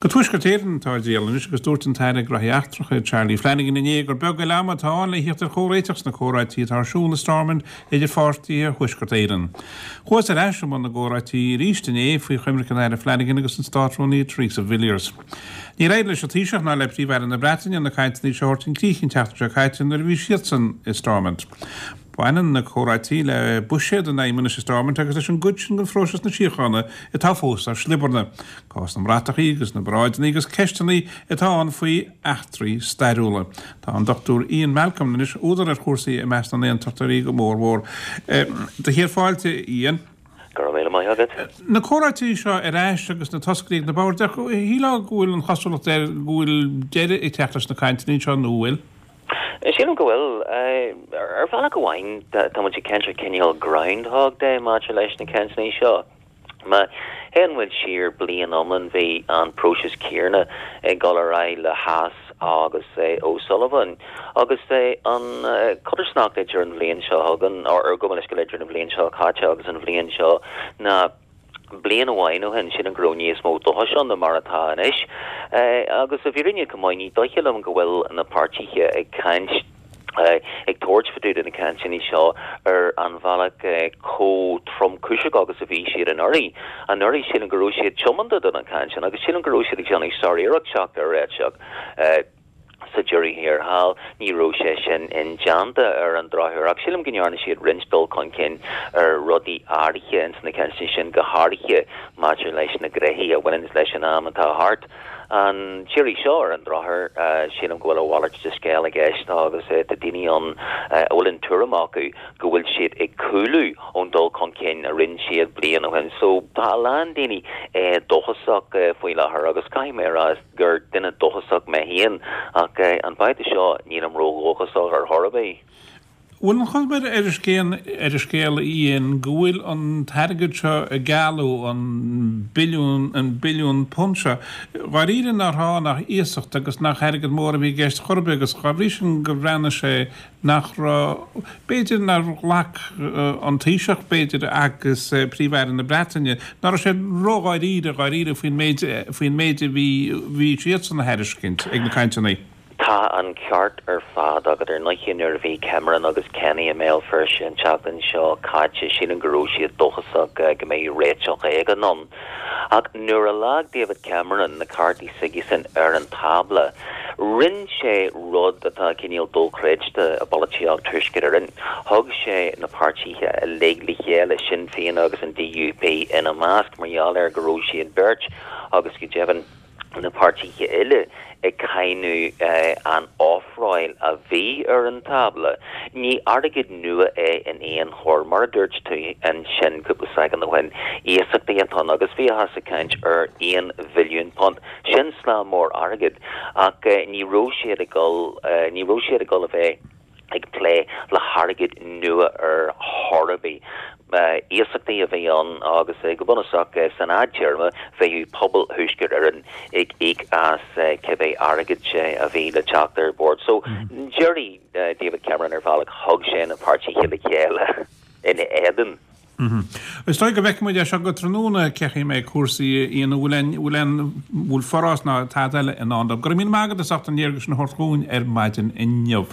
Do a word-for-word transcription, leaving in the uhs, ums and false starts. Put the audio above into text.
Go Tuaisceart Éireann atá ár dtriall anois agus dúirt an tAire Gnóthaí Eachtracha Charlie Flanagan inné gur beag eile ama atá ann le theacht ar chomhréiteach sna comhráití atá ar siúl i Stormont idir pháirtithe Thuaisceart Éireann. Chuathas ar ais i mbun na gcomhráití arís inné faoi choimirce an Aire Flanagan agus an Státrúnaí Theresa Villiers. Níor éirigh leis an Taoiseach ná le Príomh-Aire na Breataine na cainteanna seo a thabhairt chun críche an tseachtain seo caite nuair a bhí siadsan i Stormont. Baineann na comhráití le buiséad an Fheidhmeannais i Stormont agus leis an gcuid sin den phróiseas na síochána atá fós ar sliobarna. Cás na mbratachaí agus na bparáideanna agus ceisteanna atá ann faoi eachtraí stairiúla. Tá an Dr Ian Malcolm anois údar ar chúrsaí i measc na n-aontachtóirí go mór mhór. Do chéad fáilte Ian. Go raibh míle maith agat. Na comhráití seo ar ais agus na toscairí ag na boird, shílfeá go bhfuil an chosúlacht air go bhfuil deireadh ag teacht leis na cainteanna seo nó bhfuil? Sílim go bhfuil. Ar bhealach amháin tá muid ag caint ar cineál Groundhog Day maidir leis na cainteanna seo. Má théann muid siar bliain iomlán bhí an próiseas céanna ag dul ar aghaidh le Haass agus O'Sullivan agus an chodarsnacht idir an bhliain seo chugainn or go leis idir an bhliain seo caite agus an bhliain seo ná bliain amháin ó shin sin an go raibh níos mó dóchais ann ná mar atá anois. Agus i bhfírinne go maith ní dóigh liom go bhfuil na páirtithe ag caint ag tabhairt faoi na cainteanna seo ar an bhealach chomh tromchúiseach agus a bhí siad anuraidh. Anuraidh sílim go raibh siad tiomanta do na cainteanna agus sílim go raibh siad ag déanamh sáriarracht teacht ar réiteach. Sa deireadh thiar thall, ní raibh sé sin indéanta ar an drochuair, ach sílim go ndearna siad roinnt dul chun cinn ar rudaí áirithe ins na cainteanna sin, go háirithe maidir leis na gnoithí a bhaineann leis an am atá thart. An t-iarraidh seo ar an drochuair, sílim go bhfuil a mhalairt de scéal i gceist agus tá daoine ann a bhfuil an tuairim acu go bhfuil siad ag cúlú ón dul chun cinn a rinne siad bliain ó shin. So tá a lán daoine dóchasach faoi láthair agus caithfidh mé a rá gur duine dóchasach mé féin ach an babhta seo nílim ródhóchasach ar chor ar bith. Bhfuil an chuma ar an scéal ar an scéal Ian go bhfuil an t-airgead seo a gealladh, an billiún an billiún punt seo, dháiríre nár tháinig ach iasacht agus nach airgead mór a bhí i gceist chor ar bith agus dá bhrí sin gur bhreathnaigh sé nach raibh, b'fhéidir nár ghlac an Taoiseach b'fhéidir agus Príomh-Aire na Breataine, nach raibh siad ródháiríre dháiríre faoin méid faoin méid a bhí bhí siadsan a thairiscint ag na cainteanna. Tá an ceart ar fad agat. Ar ndóigh nuair a bhí Cameron agus Kenny i mBéal Feirste an tseachtain seo caite, sílim go raibh siad dóchasach go mbeidh réiteach éigin ann. Ach nuair a leag David Cameron na cártaí s'aigesan ar an tábla, rinne sé rud atá cineál dochreidte i bpolaitíocht Thuaisceart Éireann. Thug sé na páirtithe uilig le chéile, Sinn Féin agus an DUP ina measc, mar gheall ar go raibh siad beirt agus go deimhin na páirtithe eile ag cáineadh an ofráil a bhí ar an tábla. Ní airgead nua é in aon chor, mar a dúirt tú ansin cúpla soicind ó shin, iasachtaí atá ann agus bhíothas ag caint ar aon bhilliún punt. Sin slám mór airgid ach ní raibh siad ag dul ní raibh siad ag dul a bheith ag plé le hairgead nua ar chor ar bith. Iasachtaí a bhí ann agus go bunúsach san fhadtéarma bheadh pobal Thuaisceart Éireann ag íoc as cibé airgead a bhí le teacht ar bord. So d'éirigh David Cameron ar bhealach, thug sé na páirtithe le chéile ina éadan. Is dóigh go bhfeicfidh muid é seo go tráthnóna cén chaoi a mbeidh cúrsaí Ian bhfuil aon bhfuil aon bhfuil forás ná tada eile i ndán dóibh. Go raibh míle maith agat as ucht an léargas sin a thabhairt dhúinn ar maidin inniu.